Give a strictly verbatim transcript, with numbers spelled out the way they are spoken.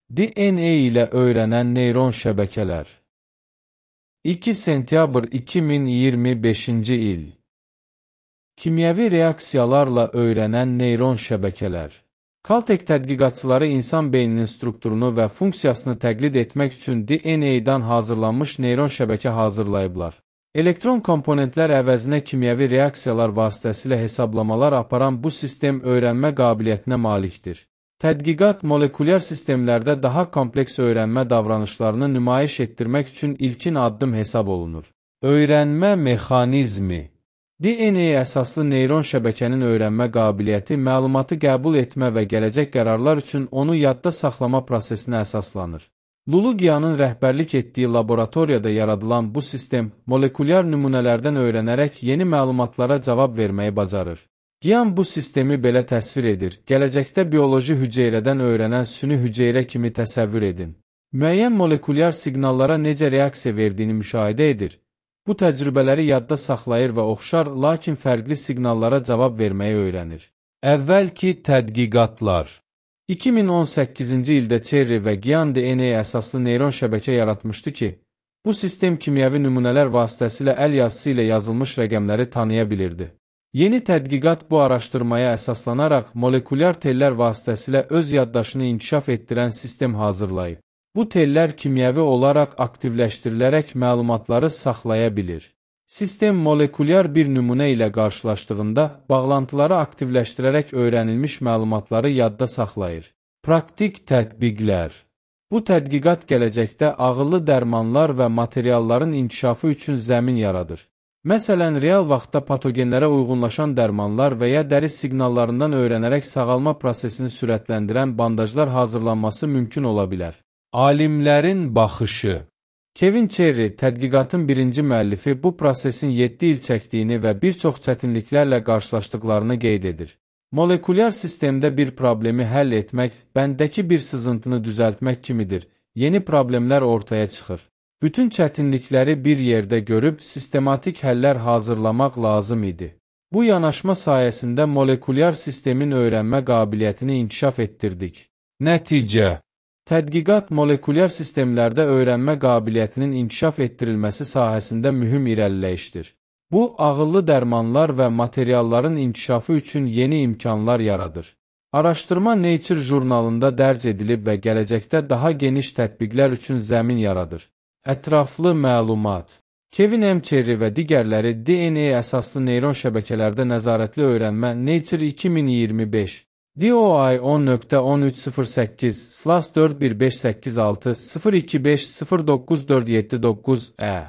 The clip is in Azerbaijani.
D N A ilə öyrənən neyron şəbəkələr. iki sentyabr iki min iyirmi beşinci il. Kimyəvi reaksiyalarla öyrənən neyron şəbəkələr. Caltech tədqiqatçıları insan beyninin strukturunu və funksiyasını təqlid etmək üçün D N A-dan hazırlanmış neyron şəbəkə hazırlayıblar. Elektron komponentlər əvəzinə kimyəvi reaksiyalar vasitəsilə hesablamalar aparan bu sistem öyrənmə qabiliyyətinə malikdir. Tədqiqat molekulyar sistemlərdə daha kompleks öyrənmə davranışlarını nümayiş etdirmək üçün ilkin addım hesab olunur. Öyrənmə mexanizmi. D N A əsaslı neyron şəbəkənin öyrənmə qabiliyyəti məlumatı qəbul etmə və gələcək qərarlar üçün onu yadda saxlama prosesinə əsaslanır. Lulugianın rəhbərlik etdiyi laboratoriyada yaradılan bu sistem molekulyar nümunələrdən öyrənərək yeni məlumatlara cavab verməyi bacarır. Gian bu sistemi belə təsvir edir. Gələcəkdə bioloji hüceyrədən öyrənən süni hüceyrə kimi təsəvvür edin. Müəyyən molekulyar siqnallara necə reaksiya verdiyini müşahidə edir. Bu təcrübələri yadda saxlayır və oxşar, lakin fərqli siqnallara cavab verməyi öyrənir. Əvvəlki tədqiqatlar. iki min on səkkizinci ildə Cherry və Gian D N A əsaslı neyron şəbəkə yaratmışdı ki, bu sistem kimyəvi nümunələr vasitəsilə əl yazısı ilə yazılmış rəqəmləri tanıya bilirdi. Yeni tədqiqat bu araşdırmaya əsaslanaraq molekulyar tellər vasitəsilə öz yaddaşını inkişaf etdirən sistem hazırlayıb. Bu tellər kimyəvi olaraq aktivləşdirilərək məlumatları saxlaya bilir. Sistem molekulyar bir nümunə ilə qarşılaşdığında bağlantıları aktivləşdirərək öyrənilmiş məlumatları yadda saxlayır. Praktik tətbiqlər. Bu tədqiqat gələcəkdə ağıllı dərmanlar və materialların inkişafı üçün zəmin yaradır. Məsələn, real vaxtda patogenlərə uyğunlaşan dərmanlar və ya dəri siqnallarından öyrənərək sağalma prosesini sürətləndirən bandajlar hazırlanması mümkün ola bilər. Alimlərin baxışı. Kevin Cherry, tədqiqatın birinci müəllifi, bu prosesin yeddi il çəkdiyini və bir çox çətinliklərlə qarşılaşdıqlarını qeyd edir. Molekulyar sistemdə bir problemi həll etmək, bəndəki bir sızıntını düzəltmək kimidir. Yeni problemlər ortaya çıxır. Bütün çətinlikləri bir yerdə görüb, sistematik həllər hazırlamaq lazım idi. Bu yanaşma sayəsində molekulyar sistemin öyrənmə qabiliyyətini inkişaf etdirdik. Nəticə. Tədqiqat molekulyar sistemlərdə öyrənmə qabiliyyətinin inkişaf etdirilməsi sahəsində mühüm irəliləyişdir. Bu, ağıllı dərmanlar və materialların inkişafı üçün yeni imkanlar yaradır. Araşdırma Nature jurnalında dərc edilib və gələcəkdə daha geniş tətbiqlər üçün zəmin yaradır. Ətraflı məlumat. Kevin M. Cherry və digərləri D N A əsaslı neyron şəbəkələrdə nəzarətli öyrənmə Nature iki min iyirmi beş D O I on nöqtə on üç sıfır səkkiz slash dörd bir beş səkkiz altı sıfır iki beş sıfır doqquz dörd yeddi doqquz E